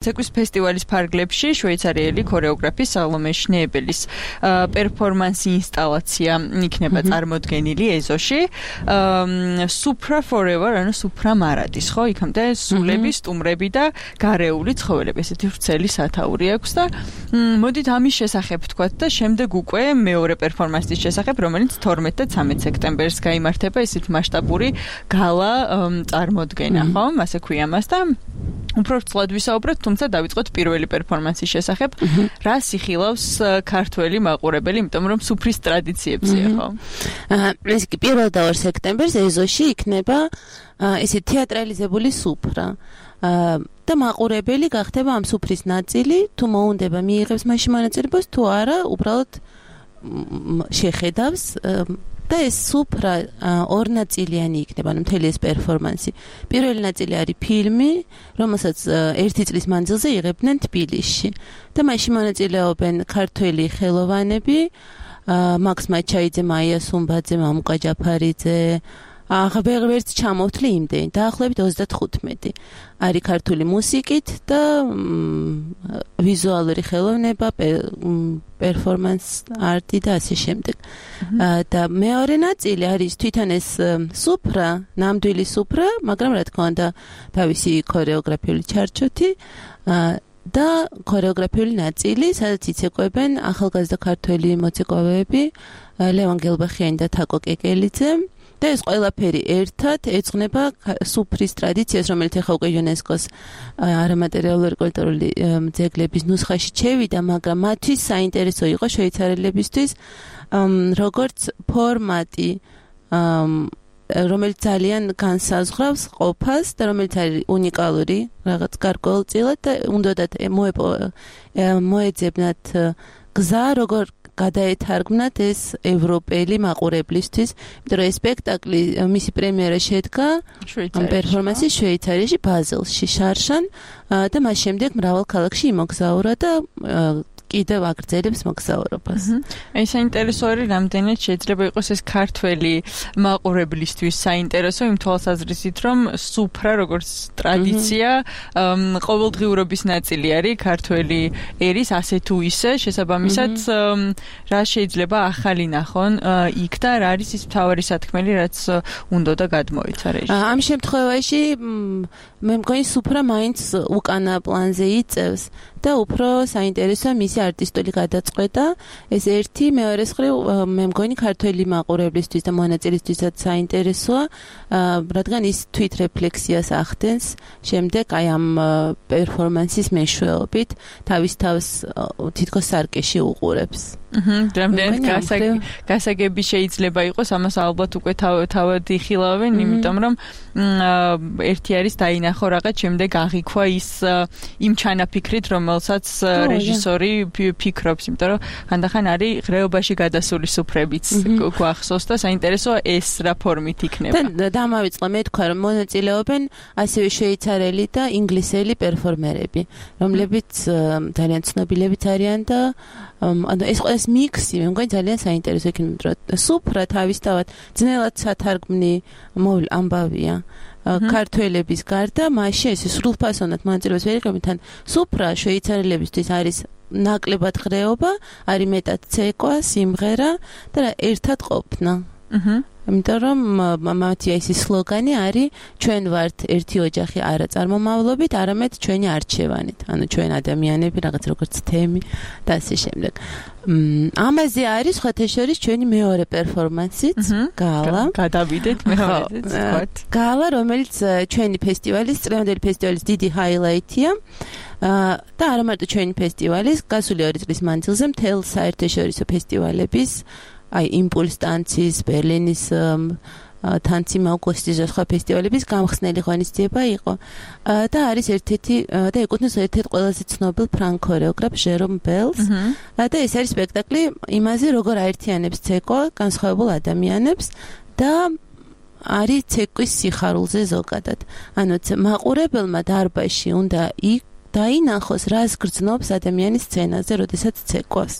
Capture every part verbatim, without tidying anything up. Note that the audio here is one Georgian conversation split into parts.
ცეკვის ფესტივალის ფარგლებში შვეიცარიელი ქორეოგრაფი სალომე შნეებელის პერფორმანსი ინსტალაცია იქნება წარმოდგენილი ეზოში. Supra Forever, ანუ Supra მარადის, ხო? იქამდე სულები, სტუმრები და გარეული ცხოველები, ესეთი ვრცელი სათაური აქვს და მოდით ამის შესახებ ვთქვათ და შემდეგ უკვე მეორე პერფორმანსის შესახებ, რომელიც თორმეტ და ცამეტ სექტემბერს გაიმართება, ესეთ მასშტაბური გალა წარმოდგენა, ხო? ასე ქვია მას და უფრო ვრცლად ვისაუბროთ, თუმცა დავიწყოთ პირველი პერფორმანსის შესახებ, რა სიხილავს ქართველი მაყურებელი, იმიტომ რომ სუფრის ტრადიციებზეა, ხო? ეს კი პირველ და ორ სექტემბერს ეზოში იქნება ესე თეატრალიზებული სუფრა. და მაყურებელი გახდება ამ სუფრის ნაწილი, თუ მოუნდება მიიღებს მასში მონაწილეობას, თუ არა, უბრალოდ შეხედავს და ეს სუფრა ორნაწილიანი იქნება, ანუ მთელი ეს პერფორმანსი. პირველი ნაწილი არის ფილმი, რომელსაც ერთი წლის მანძილზე იღებდნენ თბილისში. და მასში მონაწილეობენ ქართველი ხელოვანები, მაქს მაჩაიძე, მაია სუმბაძე, მამუკა ჯაფარიძე, აღებერვერც ჩამოვთლი იმდენი, დაახლოებით ოცდათხუთმეტი. არის ქართული მუსიკით და ვიზუალური ხელოვნება, პერფორმანს არტი და ასე შემდეგ. და მეორე ნაწილი არის თვითონ ეს სუფრა, ნამდვილი სუფრა, მაგრამ რა თქმა უნდა თავისი ქორეოგრაფიული ჩარჩოთი და ქორეოგრაფიული ნაწილი, სადაც იცეკვებენ ახალგაზრდა ქართველი მოცეკვავეები, ლევან გელბახიანი და თაკო კეკელიძე. და ეს ყველაფერი ერთად ეძღვნება სუფრის ტრადიციას, რომელიც ახლა უკვე იუნესკოს არამატერიალური კულტურული ძეგლების ნუსხაში ჩევიდა, მაგრამ მათთვის საინტერესო იყო შვეიცარიელებისთვის როგორც ფორმატი, რომელიც ძალიან განსაზღვრავს ყოფას და რომელიც არის უნიკალური, რაღაც გარკვეულწილად და უნდათ მოეძებნათ გზა, როგორ გადაეთარგმნათ ეს ევროპელი მაყურებლისთვის, იმიტომ რომ ეს სპექტაკლი მისი პრემიერა შედგა პერფორმანსი შვეიცარიაში, ბაზელში, შარშან და მას შემდეგ მრავალ ქალაქში იმოგზაურა და კიდევ აგრძელებს მოგზაურობას. აი საინტერესო არის, რამდენად შეიძლება იყოს ეს ქართველი მაყურებლისთვის საინტერესო იმ თვალსაზრისით, რომ სუფრა როგორც ტრადიცია ყოველდღიურობის ნაწილი არის ქართველი ერის ასე თუ ისე, შესაბამისად რა შეიძლება ახალი ნახონ იქ და რა არის ის მთავარი სათქმელი, რაც უნდა და გადმოიცარეს. ამ შემთხვევაში მე მგონი სუფრა მაინც უკანა პლანზე იწევს და უფრო საინტერესოა მისი არტისტული გადაწყვეტა. ეს ერთი, მეორე მხრივ მე მგონი ქართველი მაყურებლისთვის და მონაწილისთვისაც საინტერესოა, რადგან ის თვით რეფლექსიას ახდენს შემდეგ აი ამ პერფორმანსის მეშვეობით, თავის თავს თითქოს სარკეში უყურებს. რამდენად გასაგები შეიძლება იყოს, ამას ალბათ უკვე თავად იხილავენ, იმიტომ რომ ერთი არის დაინახო რაღაც, შემდეგ აღიქვა ის იმ ჩანაფიქრით, რომელსაც რეჟისორი ფიქრობს, იმიტომ რომ ხანდახან არის ღრეობაში გადასული სუფრებიც გვახსოვს და საინტერესოა ეს რა ფორმით იქნება. და დამავიწყდა მე თქვა, რომ მონაწილეობენ ასევე შვეიცარიელი და ინგლისელი პერფორმერები, რომლებიც ძალიან ცნობილებიც არიან და ანუ ეს ეს მიქსი მე მგონი ძალიან საინტერესო იქნება, რომ სუფრა თავისთავად ძნელად სათარგმნი ამბავია. ქართველების გარდა მასში ეს სრულფასოვნად მონაწილეობას ვერ იღებენ, თან სუფრა შვეიცარიელებისთვის არის ნაკლებად ღრეობა, არის მეტად ცეკვა, სიმღერა და ერთად ყოფნა. იმიტომ რომ მათი ეს სლოგანი არის ჩვენ ვართ ერთი ოჯახი არა წარმომავლობით, არამედ ჩვენი არჩევანით. ანუ ჩვენ ადამიანები რაღაც როგორც თემი და ასე შემდეგ. ამაზე არის სხვათა შორის ჩვენი მეორე პერფორმანსიც, გალა. გადავიდეთ მეორეზე, ვთქვათ. გალა, რომელიც ჩვენი ფესტივალის, წლევანდელი ფესტივალის დიდი ჰაილაითია. და არა მარტო ჩვენი ფესტივალის, გასული ორი წლის მანძილზე მთელ საერთაშორისო ფესტივალების აი იმპულს ტანცის, ბერლინის თანცი მაუკოსტის და სხვა ფესტივალების გამხსნელი ღონისძიება იყო. და არის ერთ-ერთი და ეკუთვნის ერთ-ერთ ყველაზე ცნობილ ფრანგ ქორეოგრაფ ჟერომ ბელს. და ეს არის სპექტაკლი იმაზე, როგორ აერთიანებს ცეკვა განსხვავებულ ადამიანებს და არის ცეკვის სიხარულზე ზოგადად. ანუ მაყურებელმა დარბაზში უნდა იქ დაინახოს, რას გრძნობს ადამიანის სცენაზე, როდესაც ცეკვას.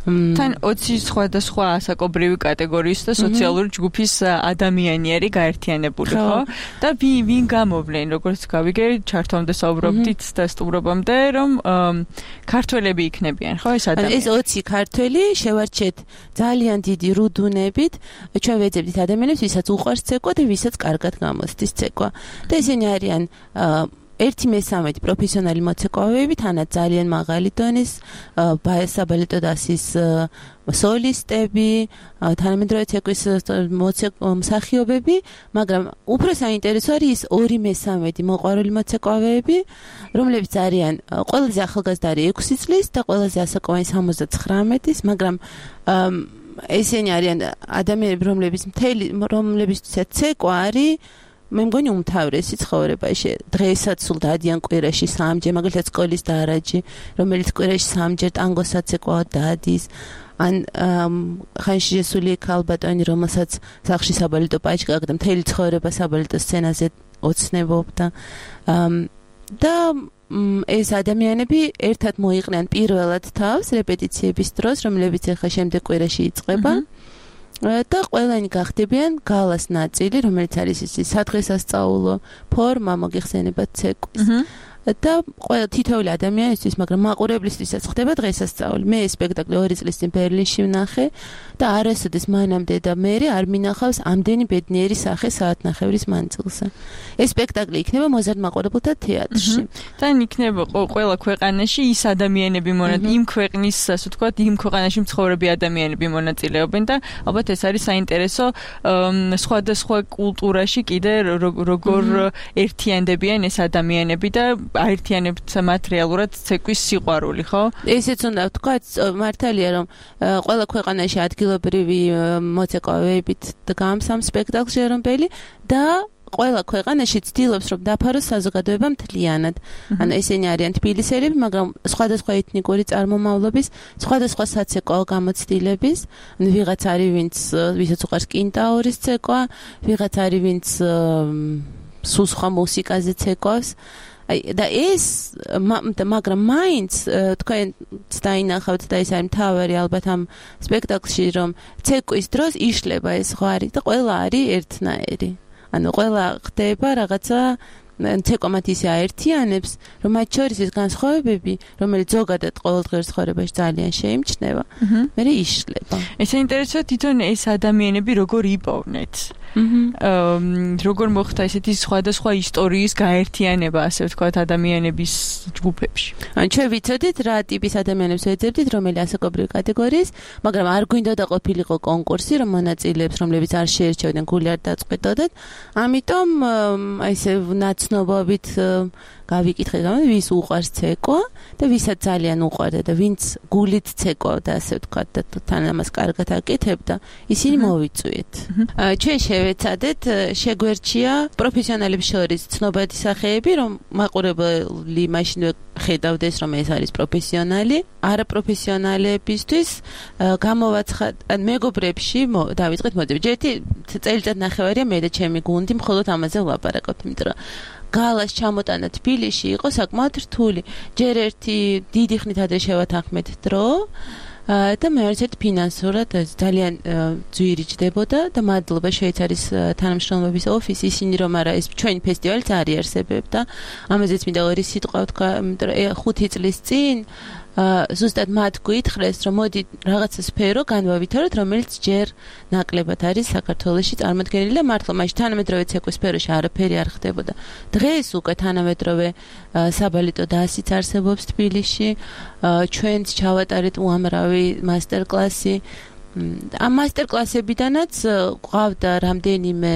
თან ოცი სხვადასხვა ასაკობრივი კატეგორიის და სოციალური ჯგუფის ადამიანი არის გაერთიანებული, ხო? და ვინ გამოვლენ, როგორც გავიგე, ჩართომდე საუბრობდით და სტუმრობამდე, რომ ქართველები იქნებიან, ხო, ეს ადამიანები. ეს ოცი ქართველი შევარჩეთ ძალიან დიდი რუდუნებით, ჩვენ ვეძებდით ადამიანებს, ვისაც უყვარს ცეკვა და ვისაც კარგად გამოსდის ცეკვა. და ესენი არიან ერთი მესამედი პროფესიონალი მოცეკვავეები, თანაც ძალიან მაღალი დონის საბალეტო დასის სოლისტები, თანამედროვე ცეკვის მსახიობები, მაგრამ უფრო საინტერესო არის ის ორი მესამედი მოყვარული მოცეკვავეები, რომლებიც არიან ყველაზე ახალგაზრდა არის ექვსი წლის და ყველაზე ასაკოვანი სამოცდათხრამეტის, მაგრამ ესენი არიან ადამიანები, რომლებიც მთელი რომლებიცაც ცეკვა არის მე მგონი უმთავრესი ცხოვრებაში. დღესაც სულ დადიან კვირაში სამჯერ, მაგალითად სკოლის დარაჯი, რომელიც კვირაში სამჯერ ტანგოსაც ეკვა დადის. ან ხანში შესული ქალბატონი, რომელსაც სახლში საბალეტო პაჭკა და მთელი ცხოვრება საბალეტო სცენაზე ოცნებობდა. და ეს ადამიანები ერთად მოიყრიან პირველად თავს რეპეტიციების დროს, რომლებიც ახლა შემდეგ კვირაში იწყება. და ყველანი გახდებიან გალას ნაწილი, რომელიც არის ის სადღესასწაულო ფორმა მოგიხსენებათ ცეკვის. და ყველა თითოეული ადამიანისთვის, მაგრამ მაყურებლისთვისაც ხდება დღესასწაული. მე ეს სპექტაკლი ორი წლის წინ ბერლინში ვნახე და არასოდეს მანამდე და მერე არ მინახავს ამდენი ბედნიერი სახე საათნახევრის მანძილზე. ეს სპექტაკლი იქნება მოზარდ მაყურებელთა თეატრში. თან იქნება ყველა ქვეყანაში ის ადამიანები მონაწილეობენ, იმ ქვეყნის, ასე ვთქვათ, იმ ქვეყანაში მცხოვრები ადამიანები მონაწილეობენ და ალბათ ეს არის საინტერესო სხვადასხვა კულტურაში კიდე როგორ ერთიანდებიან ეს ადამიანები და აერთიანებთ მათ რეალურად ცეკვის სიყვარული, ხო? ესეც უნდა ვთქვათ, მართალია რომ ყველა ქვეყანაში ადგილობრივი მოცეკვავეებით დგამს ამ სპექტაკლს ჟერომბელი და ყველა ქვეყანაში ცდილობს რომ დაფაროს საზოგადოება მთლიანად. ანუ ესენი არიან თბილისელები, მაგრამ სხვადასხვა ეთნიკური წარმომავლობის, სხვადასხვა საცეკვაო გამოცდილების. ანუ ვიღაც არის ვინც ვისაც უყვარს კინტაურის ცეკვა, ვიღაც არის ვინც სულ სხვა მუსიკაზე ცეკვავს. და ეს მაგრამ მაინც თქვენც დაინახავთ და ეს არის მთავარი ალბათ ამ სპექტაკლში, რომ ცეკვის დროს იშლება ეს ზღვარი და ყველა არის ერთნაირი. ანუ ყველა ხდება რაღაცა ცეკვა მათ ისე აერთიანებს, რომ მათ შორის ეს განსხვავებები, რომელიც ზოგადად ყოველდღიურ ცხოვრებაში ძალიან შეიმჩნევა, მე იშლება. ეს საინტერესოა თვითონ ეს ადამიანები როგორ იპოვნეთ. როგორ მოხდა ესეთი სხვადასხვა ისტორიის გაერთიანება, ასე ვთქვათ, ადამიანების ჯგუფებში. ან ჩვენ ვიცოდით რა ტიპის ადამიანებს ვეძებდით, რომელი ასაკობრივი კატეგორიის, მაგრამ არ გვინდოდა ყოფილიყო კონკურსი, რომ მონაწილეებს, რომლებიც არ შეერჩევდნენ, გული არ დაწყვეტოდათ. ამიტომ აი ესე ნაცნობობით გავიკითხეთ, ვის უყვარს ცეკვა და ვისაც ძალიან უყვარდა და ვინც გულით ცეკვავდა, ასე ვთქვათ, და თან ამას კარგად აკეთებდა, ისინი მოვიწვიეთ. ჩვენ შევეცადეთ, შეგვერჩია პროფესიონალებს შორის ცნობადი სახეები, რომ მაყურებელი მაშინვე ხედავდეს, რომ ეს არის პროფესიონალი. არაპროფესიონალებისთვის გამოვაცხად, ან მეგობრებში დავიწყეთ მოძებნა. ერთი წელიწად ნახევარია მე და ჩემი გუნდი მხოლოდ ამაზე ვლაპარაკობთ, იმიტომ რომ გალას ჩამოტანა თბილისში იყო საკმაოდ რთული. ჯერ ერთი დიდი ხნით ადრე შევათანხმეთ დრო და მეორე ერთ ფინანსურად ძალიან ძვირი ჯდებოდა და მადლობა შვეიცარიის თანამშრომლობის ოფისს, ისინი რომ არა ეს ჩვენი ფესტივალიც არ იარსებებდა. ამაზეც მინდა ორი სიტყვა ვთქვა, იმიტომ რომ ხუთი წლის წინ ზუსტად მათ გითხრეს, რომ მოდი რაღაცა სფერო განვავითაროთ, რომელიც ჯერ ნაკლებად არის საქართველოში წარმოდგენილი და მართლა მაშინ თანამედროვე ცეკვის სფეროში არაფერი არ ხდებოდა. დღეს უკვე თანამედროვე საბალეტო დასიც არსებობს თბილისში, ჩვენც ჩავატარეთ უამრავი მასტერკლასი. ამ მასტერკლასებიდანაც გვყავდა რამდენიმე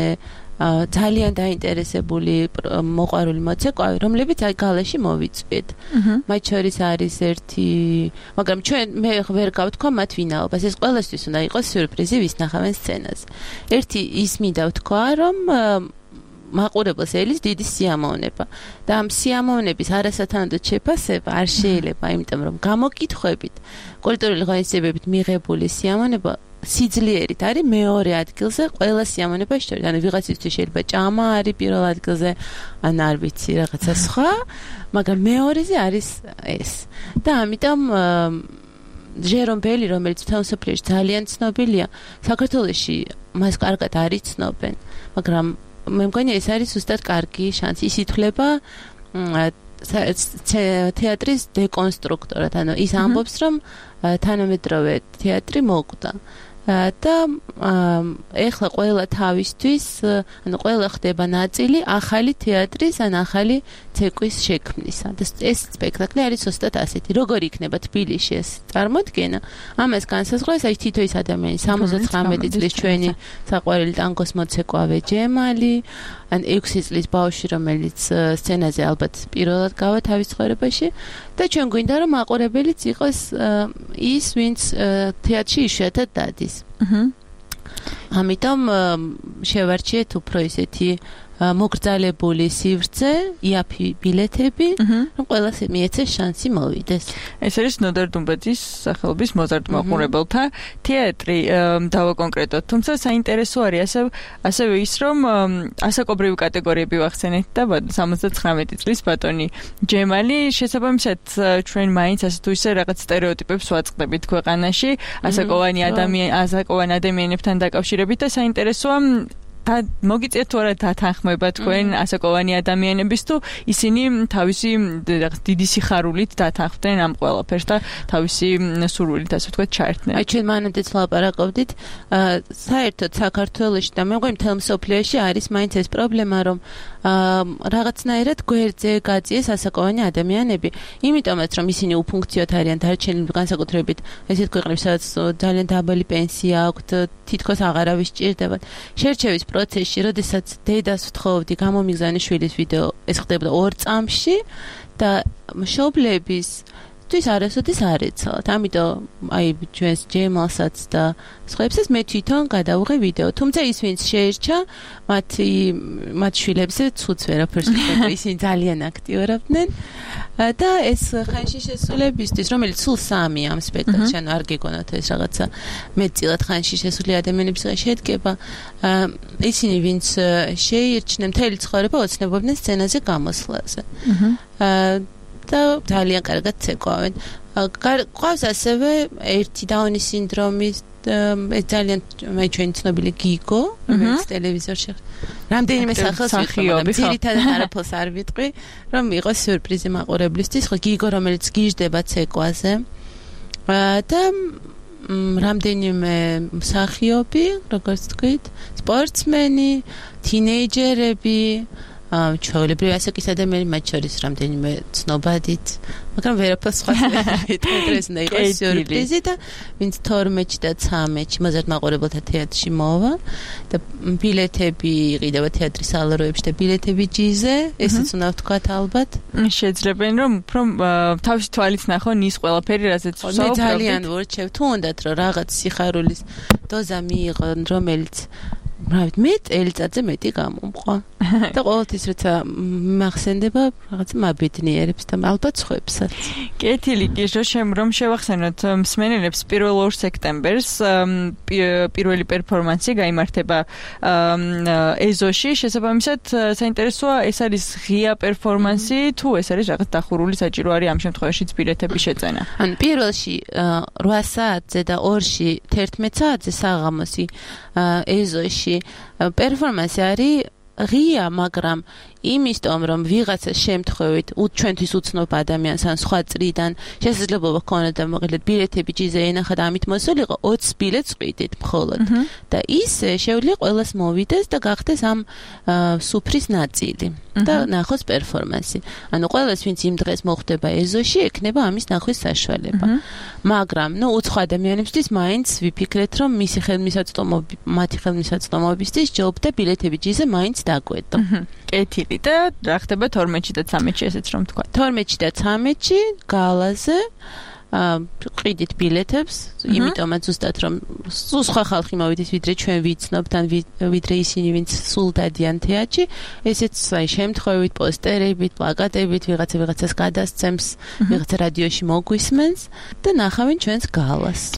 ძალიან დაინტერესებული მოყვარული მოცეკვავი, რომლებიც აი გალაში მოვიწვიეთ. მათ შორის არის ერთი, მაგრამ ჩვენ მე ვერ გავთქვა მათ ვინაობას. ეს ყველასთვის უნდა იყოს სიურპრიზი, ვის ნახავენ სცენაზე. ერთი ის მინდა ვთქვა, რომ მაყურებელს ელის დიდი სიამოვნება და ამ სიამოვნების არასათანადო შეფასება არ შეიძლება, იმიტომ რომ გამოკითხვებით, კულტურული ღონისძიებებით მიღებული სიამოვნება სიძლიერით არის მეორე ადგილზე ყველა სიამოვნებას შორის. ანუ ვიღაცისთვის შეიძლება ჭამა არის პირველ ადგილზე, ან არ ვიცი, რაღაცა სხვა, მაგრამ მეორეზე არის ეს. და ამიტომ ჟერომ ბელი, რომელიც თავისუფლად ძალიან ცნობილია, საქართველოში მას კარგად არ იცნობენ, მაგრამ მე მგონი ეს არის ზუსტად კარგი შანსი. ის ითვლება თეატრის დეკონსტრუქტორად, ანუ ის ამბობს, რომ თანამედროვე თეატრი მოკვდა. და ეხლა ყველა თავისთვის, ანუ ყველა ხდება ნაწილი ახალი თეატრის ან ახალი ცეკვის შექმნისა. და ეს სპექტაკლი არის ზუსტად ასეთი. როგორ იქნება თბილისში ეს წარმოდგენა? ამას განსაზღვრავს აი თითო ის ადამიანი, სამოცდათხრამეტი წლის ჩვენი საყვარელი ტანგოს მოცეკვავე ჯემალი, ან ექვსი წლის ბავშვი, რომელიც სცენაზე ალბათ პირველად გავა თავის ცხოვრებაში და ჩვენ გვინდა რომ მაყურებელიც იყოს ის, ვინც თეატრში იშვიათად დადის. ამიტომ შევარჩიეთ უფრო ისეთი მოგრძალებული სივრცე, იაფი ბილეთები, რომ ყველას მიეცეს შანსი მოვიდეს. ეს არის ნოდარ დუმბაძის სახელობის მოზარდ მაყურებელთა თეატრი დავაკონკრეტოთ. თუმცა საინტერესო არის ასევე ასევე ის, რომ ასაკობრივი კატეგორიები ვახსენეთ და სამოცდათხრამეტი წლის ბატონი ჯემალი, შესაბამისად ჩვენ მაინც ასე თუ ისე რაღაც სტერეოტიპებს ვაწყდებით ქვეყანაში, ასაკოვანი ადამიან ასაკოვან ადამიანებთან დაკავშირებით და საინტერესოა და მოგიწევთ თუ არა დათანხმება თქვენ ასაკოვანი ადამიანების თუ ისინი თავისი დიდი სიხარულით დათანხმდნენ ამ ყველაფერს და თავისი სურვილით ასე ვთქვათ ჩაერთნენ. აი ჩვენ მანამდეც ლაპარაკობდით, საერთოდ საქართველოში და მე მგონი მთელ მსოფლიოში არის მაინც ეს პრობლემა, რომ რაღაცნაირად გვერდზე გაწიეს ასაკოვანი ადამიანები, იმიტომაც რომ ისინი უფუნქციოდ არიან დარჩენილი, განსაკუთრებით ესეთ ქვეყნებში, სადაც ძალიან დაბალი პენსია აქვთ, თითქოს აღარავის სჭირდებათ. შერჩევის პროცესში, როდესაც დედას ვთხოვდი გამომიგზავნის შვილის ვიდეო, ეს ხდებოდა ორ წამში და მშობლების თვის არასოდეს არ ეცალათ. ამიტომ აი ჩვენს ჯემალსაც და სხვაებსაც მე თვითონ გადავუღე ვიდეო. თუმცა ის ვინც შეერჩა, მათი მათ შვილებზე ცუც ვერაფერს ვიტყვი, ისინი ძალიან აქტიურობდნენ და ეს ხანში შესრულებისთვის, რომელიც სულ სამი ამ სპექტაკლში, ანუ არ გეგონათ ეს რაღაცა მეტწილად ხანში შესული ადამიანებისგან შედგება, ისინი ვინც შეირჩნენ მთელი ცხოვრება ოცნებობდნენ სცენაზე გამოსვლაზე. და ძალიან კარგად ცეკვავენ. ყავს ასევე ერთი დაუნის სინდრომის ეს ძალიან მე ჩვენი ცნობილი გიგო, რომელიც ტელევიზორში რამდენიმე სახელს ვიხმობ, ძირითადად არაფერს არ ვიტყვი, რომ იყოს სიურპრიზი მაყურებლისთვის, ხო გიგო, რომელიც გიჟდება ცეკვაზე. და რამდენიმე მსახიობი, როგორც თქვით, სპორტსმენი, თინეიჯერები, ჩვეულებრივი ასაკის ადამიანები, მათ შორის რამდენიმე ცნობადით, მაგრამ ვერაფერს სხვა ვიტყვი, ეს უნდა იყოს სიურპრიზი და ვინც თორმეტში და ცამეტში მოზარდ მაყურებელთა თეატრში მოვა და ბილეთები იყიდება თეატრის სალაროებში და ბილეთები ჯიზე, ესეც უნდა ვთქვათ ალბათ. შეიძლება რომ უფრო თავისი თვალით ნახონ ის ყველაფერი, რასაც ვსაუბრობთ. მე ძალიან ვორჩევ, თუ უნდათ რომ რაღაც სიხარულის დოზა მიიღონ, რომელიც რავით, მე წელიწადზე მეტი გამომყვა. და ყოველთვის როცა მახსენდება, რაღაც მაბედნიერებს და ალბათ სხვებსაც. კეთილი კი, რომ შევახსენოთ მსმენელებს პირველ ორ სექტემბერს პირველი პერფორმანსი გაიმართება ეზოში. შესაბამისად, საინტერესოა, ეს არის ღია პერფორმანსი, თუ ეს არის რაღაც დახურული, საჭირო არის ამ შემთხვევაშიც ბილეთების შეძენა. ანუ პირველში რვა საათზე და ორში თერთმეტ საათზე საღამოსი ეზოში პერფორმანსი არის ღია, მაგრამ იმისtom, რომ ვიღაცას შემთხვევით ჩვენთვის უცნობ ადამიანს ან სხვა წრიდან შესაძლებლობა ჰქონდა და მოკლედ ბილეთები ჯიზე ენახა და ამით მოსულიყო, ოცი ბილეთს ყიდით მხოლოდ. და ისე შეუძლია ყველას მოვიდეს და გახდეს ამ სუფრის ნაწილი და ნახოს პერფორმანსი. ანუ ყველას ვინც იმ დღეს მოხვდება ეზოში, ექნება ამის ნახვის საშუალება. მაგრამ, ნუ უცხო ადამიანებისთვის მაინც ვიფიქრეთ, რომ მისი ხელმისაწვდომობი, მათი ხელმისაწვდომობისთვის ჯობდა ბილეთები ჯიზე მაინც დაგვეტო. კეთილი და რა ხდება თორმეტში და ცამეტში, ესეც რომ თქვა. თორმეტში და ცამეტში გალაზე ყიდით ბილეთებს, იმიტომაც ზუსტად რომ სხვა ხალხი მოვიდეს, ვიდრე ჩვენ ვიცნობთ ან ვიდრე ისინი, ვინც სულ დადიან თეატრში, ესეც აი შემთხვევით პოსტერებით, პლაკატებით, ვიღაცა ვიღაცას გადასცემს, ვიღაცა რადიოში მოგვისმენს და ნახავენ ჩვენს გალას.